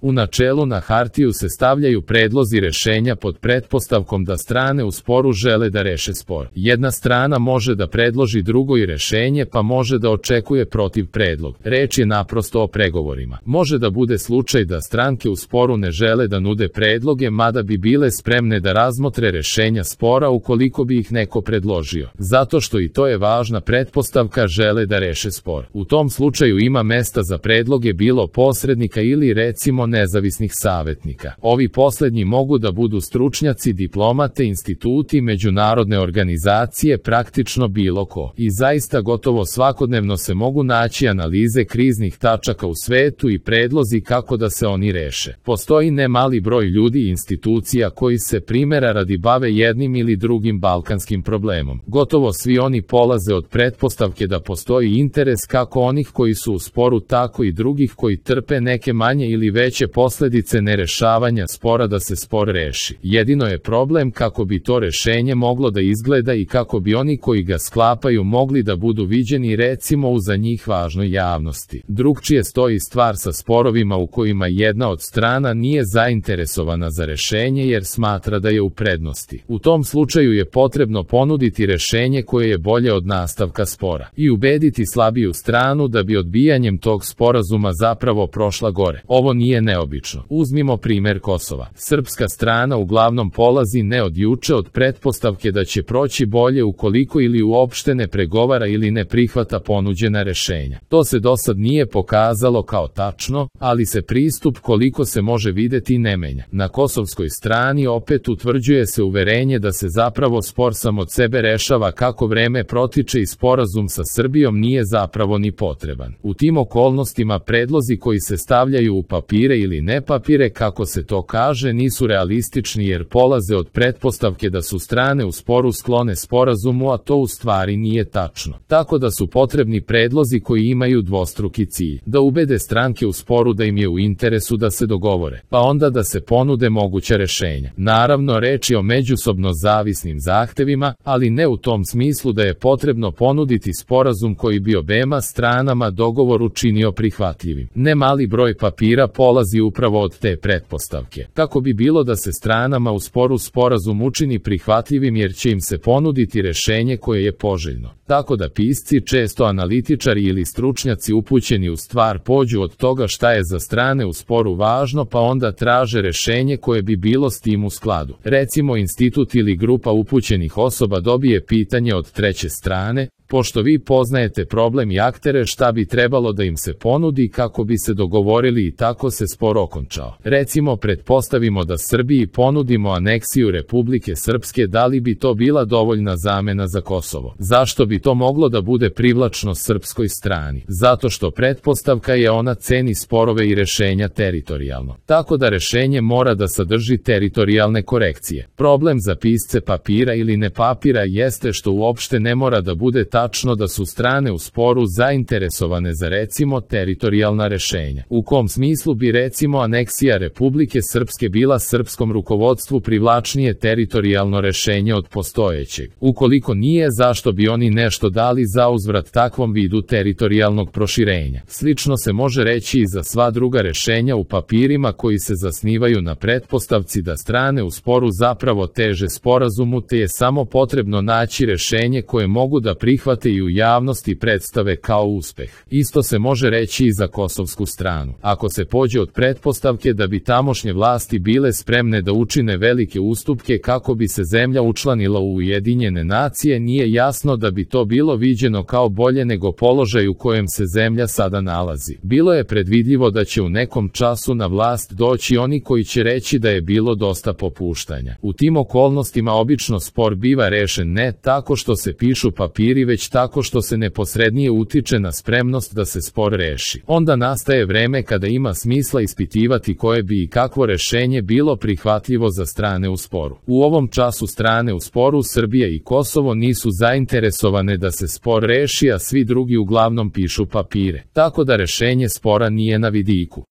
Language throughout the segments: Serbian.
U načelu na hartiju se stavljaju predlozi rešenja pod pretpostavkom da strane u sporu žele da reše spor. Jedna strana može da predloži drugoj rešenje pa može da očekuje protiv predlog. Reč je naprosto o pregovorima. Može da bude slučaj da stranke u sporu ne žele da nude predloge, mada bi bile spremne da razmotre rešenja spora ukoliko bi ih neko predložio. Zato što i to je važna pretpostavka, žele da reše spor. U tom slučaju ima mesta za predloge bilo posrednika ili recimo nezavisnih savetnika. Ovi poslednji mogu da budu stručnjaci, diplomate, instituti, međunarodne organizacije, praktično bilo ko. I zaista gotovo svakodnevno se mogu naći analize kriznih tačaka u svetu i predlozi kako da se oni reše. Postoji ne mali broj ljudi i institucija koji se primera radi bave jednim ili drugim balkanskim problemom. Gotovo svi oni polaze od pretpostavke da postoji interes kako onih koji su u sporu, tako i drugih koji trpe neke manje ili veće posledice nerešavanja spora da se spor reši. Jedino je problem kako bi to rešenje moglo da izgleda i kako bi oni koji ga sklapaju mogli da budu viđeni recimo u za njih važnoj javnosti. Drugčije stoji stvar sa sporovima u kojima jedna od strana nije zainteresovana za rešenje jer smatra da je u prednosti. U tom slučaju je potrebno ponuditi rešenje koje je bolje od nastavka spora i ubediti slabiju stranu da bi odbijanjem tog sporazuma zapravo prošla gore. Ovo nije neobično. Uzmimo primer Kosova. Srpska strana uglavnom polazi ne od juče od pretpostavke da će proći bolje ukoliko ili uopšte ne pregovara ili ne prihvata ponuđena rešenja. To se do sad nije pokazalo kao tačno, ali se pristup koliko se može videti ne menja. Na kosovskoj strani opet utvrđuje se uverenje da se zapravo spor sam od sebe rešava kako vreme protiče i sporazum sa Srbijom nije zapravo ni potreban. U tim okolnostima predlozi koji se stavljaju u papire ili ne papire, kako se to kaže, nisu realistični jer polaze od pretpostavke da su strane u sporu sklone sporazumu, a to u stvari nije tačno. Tako da su potrebni predlozi koji imaju dvostruki cilj. Da ubede stranke u sporu da im je u interesu da se dogovore, pa onda da se ponude moguća rešenja. Naravno, reč je o međusobno zavisnim zahtevima, ali ne u tom smislu da je potrebno ponuditi sporazum koji bi obema stranama dogovor učinio prihvatljivim. Ne mali broj papira polazi upravo od te pretpostavke. Kako bi bilo da se stranama u sporu sporazum učini prihvatljivim jer će im se ponuditi rešenje koje je poželjno. Tako da pisci, često analitičari ili stručnjaci upućeni u stvar, pođu od toga šta je za strane u sporu važno pa onda traže rešenje koje bi bilo s tim u skladu. Recimo institut ili grupa upućenih osoba dobije pitanje od treće strane: pošto vi poznajete problem i aktere, šta bi trebalo da im se ponudi kako bi se dogovorili i tako se spor okončao. Recimo, pretpostavimo da Srbiji ponudimo aneksiju Republike Srpske, da li bi to bila dovoljna zamena za Kosovo? Zašto bi to moglo da bude privlačno srpskoj strani? Zato što pretpostavka je ona ceni sporove i rešenja teritorijalno. Tako da rešenje mora da sadrži teritorijalne korekcije. Problem za pisce papira ili ne papira jeste što uopšte ne mora da bude tačno da su strane u sporu zainteresovane za recimo teritorijalna rešenja. U kom smislu bi recimo aneksija Republike Srpske bila srpskom rukovodstvu privlačnije teritorijalno rešenje od postojećeg? Ukoliko nije, zašto bi oni nešto dali za uzvrat takvom vidu teritorijalnog proširenja? Slično se može reći i za sva druga rešenja u papirima koji se zasnivaju na pretpostavci da strane u sporu zapravo teže sporazumu, te je samo potrebno naći rešenje koje mogu da prihvate i u javnosti predstave kao uspeh. Isto se može reći i za kosovsku stranu. Ako se pođe od pretpostavke da bi tamošnje vlasti bile spremne da učine velike ustupke kako bi se zemlja učlanila u Ujedinjene nacije, nije jasno da bi to bilo viđeno kao bolje nego položaj u kojem se zemlja sada nalazi. Bilo je predvidljivo da će u nekom času na vlast doći oni koji će reći da je bilo dosta popuštanja. U tim okolnostima obično spor biva rešen ne tako što se pišu papiri, već tako što se neposrednije utiče na spremnost da se spor reši. Onda nastaje vreme kada ima smisla ispitivati koje bi i kakvo rešenje bilo prihvatljivo za strane u sporu. U ovom času strane u sporu Srbija i Kosovo nisu zainteresovane da se spor reši, a svi drugi uglavnom pišu papire. Tako da rešenje spora nije na vidiku.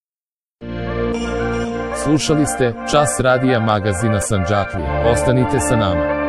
Slušali ste Čas radija magazina Sandžaklije. Ostanite sa nama.